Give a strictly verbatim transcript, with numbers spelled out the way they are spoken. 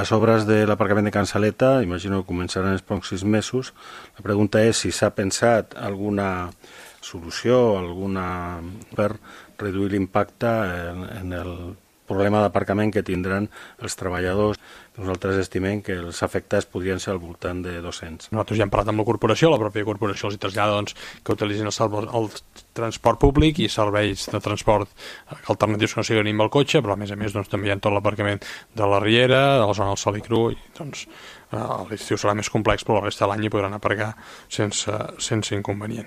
Les obres de l'aparcament de Can Saleta, imagino que començaran els pròxims mesos. La pregunta és si s'ha pensat alguna solució, alguna per reduir l'impacte en, en el problema d'aparcament que tindran els treballadors. Nosaltres estimem que els afectats podrien ser al voltant de dos-cents. Nosaltres ja hem parlat amb la corporació, la pròpia corporació els trasllada doncs, que utilitzin el, el transport públic i serveis de transport alternatius que no siguin amb el cotxe, però a més a més doncs, també hi ha tot l'aparcament de la Riera, de la zona del Sol i Cru, i doncs a l'estiu serà més complex, però la resta de l'any hi podran aparcar sense, sense inconvenient.